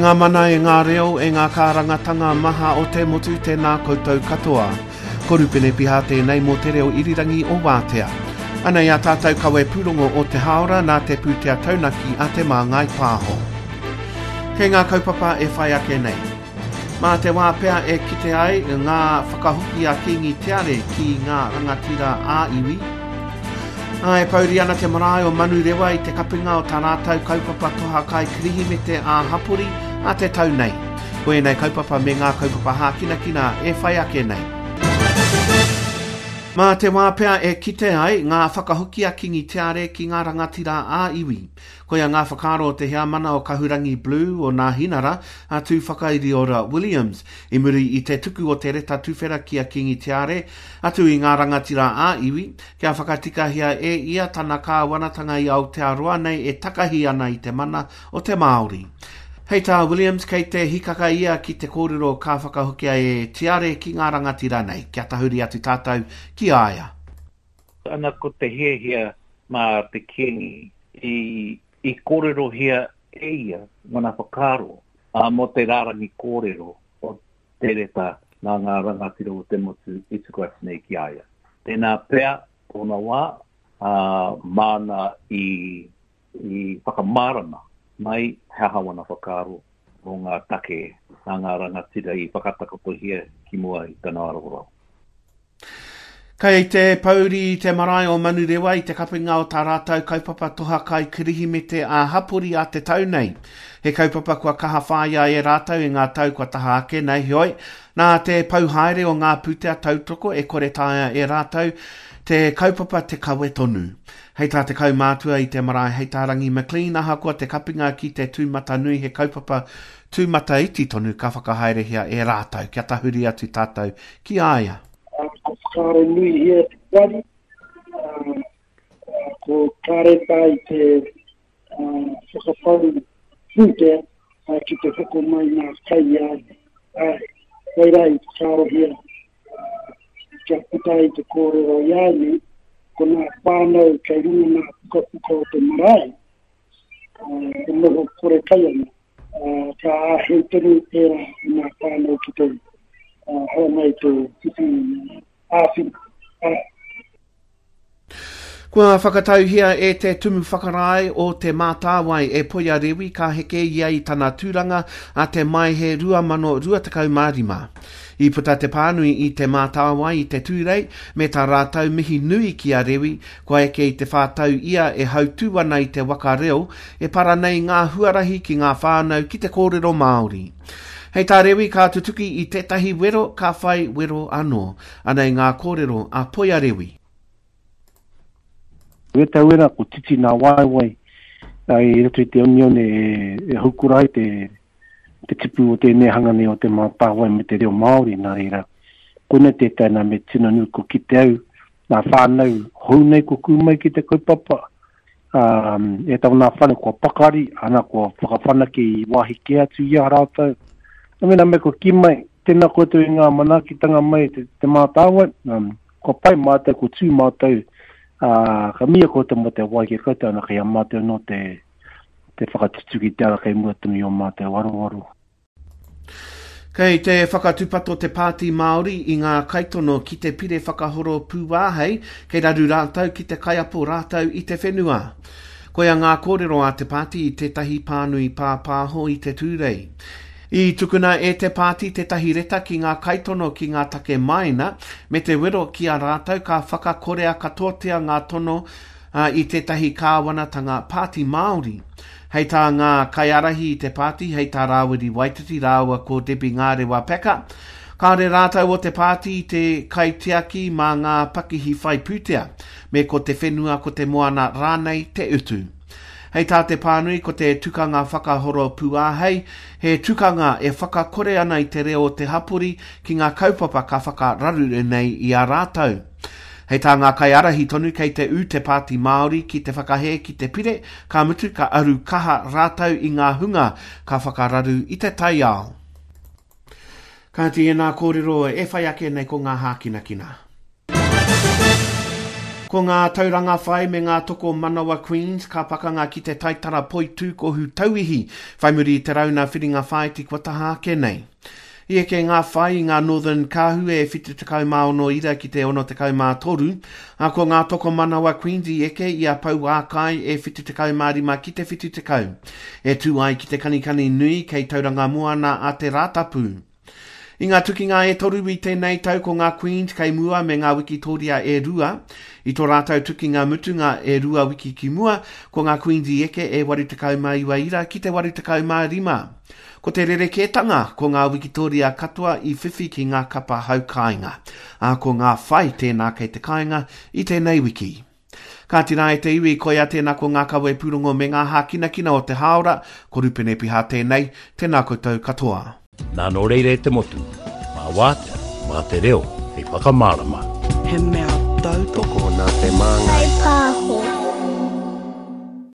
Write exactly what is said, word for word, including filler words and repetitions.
ngā mana, e ngā reo, e ngā kārangatanga maha o te motu, tēnā koutou katoa. Ko Rupene Piha tēnei mō te reo irirangi o Wātea. Anei a tātou kawe pūrongo o te hāora nā te pūtea taunaki a Te Māngai Pāho. Kei ngā kaupapa e whai ake nei. Mā te wā pea e kite ai ngā whakahoki a Kīngi Teare ki ngā rangatira ā-iwi. Ā, e pouri ana te marae o Manurewa i te kapinga o tā rātou kaupapa toha kai Kirihimete ā-hapori a te tau nei. Ko ēnei kaupapa me ngā kaupapa hākinakina e whai ake nei. Mā te wā pea e kite ai ngā whakahoki a Kīngi Teare ki ngā rangatira ā-iwi. Koia ngā whakaaro o te heamana o Kahurangi Blue o Nāhinara a Tūwhakairiora Williams i muri i te tuku o te reta tuwhera ki a Kīngi Teare atu i ngā rangatira ā-iwi kia whakatikahia e ia tana kāwanatanga i Aotearoa nei e takahi ana i te mana o te Māori. Hei tā Williams, kei te hikaka ia ki te kōrero ka whakahokia e Tiare ki ngā rangatira nei, kia tahuri atu tātou ki a ia. Ana ko te hiahia mā te Kīngi i, i kōrerohia e ia ngana whakaaro ā, mō te rārangi kōrero o te reta nā ngā rangatira o te motu i tuku atu nei ki a ia. Tēnā pea tōna wā, ā, māna i, i whakamārama mai he aha wana whakaaro mō ngā take nā ngā rangatira i whakatakotohia ki mua i tana aroaro. Kei te pouri te marae o Manurewa i te kapinga o tā rātou kaupapa toha kai Kirihimete ā-hapori a te tau nei. He kaupapa kua kaha whāia e rātou i ngā tau kua taha ake nei, heoi, nā te pau haere o ngā pūtea tautoko e kore taea e rātou te kaupapa te kawe tonu. Hei tā te kaumātua i te marae, hei tā Rangi McLean, ahakoa te kapinga ki te tūmatanui he kaupapa tūmataiti tonu ka whakahaerehia e rātou, kia tahuri atu tātou ki a ia. Ko whakaaro nui hia te wari, ko kāreta i te whakapau pūtea ki te hoko mai ngā kai i a ia. Koirā i whakaarohia kia puta i te kōrero i a ia, ko ngā whānau kei runga ngā pukapuka o te marae, e noho kore kai ana, ka āhei tonu ērā i ngā whānau ki te haramai te whiwhi āwhina. Kua whakatauhia e te Tumu Whakarae o Te Mātāwai e Poia Rewi ka heke ia i tana tūranga a te Maehe rua mano rua tekau mā rima. I puta te pānui i Te Mātāwai i te Tūrei me tā rātou mihi nui ki a Rewi, kua eke i te whātau ia e hautū ana i te waka reo e para nei ngā huarahi ki ngā whānau ki te kōrero Māori. Hei tā Rewi ka tutuki i tētahi wero ka whai wero anō. Anei ngā kōrero a Poia Rewi. E tau era ko titi nā waewae i roto i te onione e, e haukura ai te, te tipu o tēnei hanga nei o Te Mātāwai me te reo Māori nā reira. Koinei tētai nā me tino nui ko ki te au, nā whānau hou nei ko kū mai ki te kaupapa. Um, e tau nā whānau kua pakari, ana kua whakawhanake i wāhi kē atu i a rātou. Nā mena me ko ki mai, tēnā koutou i ngā manaakitanga mai te, te Mātāwai, um, kua pai mātou, kua tū mātou, Uh, ka mia koutou mō te wai ki koutou ana kei a mātou no te, te whakatutuki te ara kei mua tonu i o mātou aroaro. Kei te whakatūpato te Pāti Māori i ngā kaitono ki te pire whakahoro pūāhei, kei raru rātou ki te kaiapo rātou i te whenua. Koia ngā kōrero a te pāti i tētahi pānui pāpāho i te Tūrei. I tukuna e te pāti tētahi reta ki ngā kaitono ki ngā take maina, me te wero ki a rātou ka whakakorea katoatia ngā tono uh, i tētahi kāwanatanga Pāti Māori. Hei tā ngā kaiārahi i te pāti, hei tā Rāwiri Waititi rāua ko Debbie Ngārewa Packer, kāore rātou o te pāti i te kaitiaki mā ngā pakihi whai pūtea, me ko te whenua ko te moana rānei te utu. Hei tā te pānui ko te tukanga whakahoro pūāhei, he tukanga e whakakore ana i te reo o te hapori ki ngā kaupapa ka whakararure nei i a rātou. Hei tā ngā kaiārahi tonu kei te ū te Pāti Māori ki te whakahē ki te pire, ka mutu ka aru kaha rātou i ngā hunga ka whakararu i te taiao. Kāti e nā kōrero e whai ake nei ko ngā hākinakina. Ko ngā tauranga whai me ngā toko manawa Queens ka pakanga ki te taitara poitūkohu tauihi whai muri i te rauna whiringa whāiti kua taha ake nei. I eke ngā whai i ngā Northern Kahu e whitu tekau mā ono ira ki te ono tekau mā toru, ā, ko ngā toko manawa Queens i eke i a Pouākai e whitu tekau mā rima ki te whitu tekau. E tū ai ki te kanikani nui kei Tauranga Moana a te Rātapu. I ngā tukinga e toru i tēnei tau ko ngā Queens kei mua me ngā Wikitoria e rua. I tō rātou tukinga mutunga e rua wiki ki mua, ko ngā Queens i eke e waru tekau mā iwa ira ki te waru tekau mā rima. Ko te rerekētanga, ko ngā Wikitoria katoa i whiwhi ki ngā kapa hau kāinga. Ā, ko ngā whai tēnā kei te kāinga i tēnei wiki. Kāti rā e te iwi, koia tēnā ko ngā kawe pūrongo me ngā hākinakina o te hāora, ko Rupene Piha tēnei, tēnā koutou katoa. Nā nō reira e te motu, mā wātea, mā te reo, hei whakamārama. He mea tautoko nā te māngai. Pāho.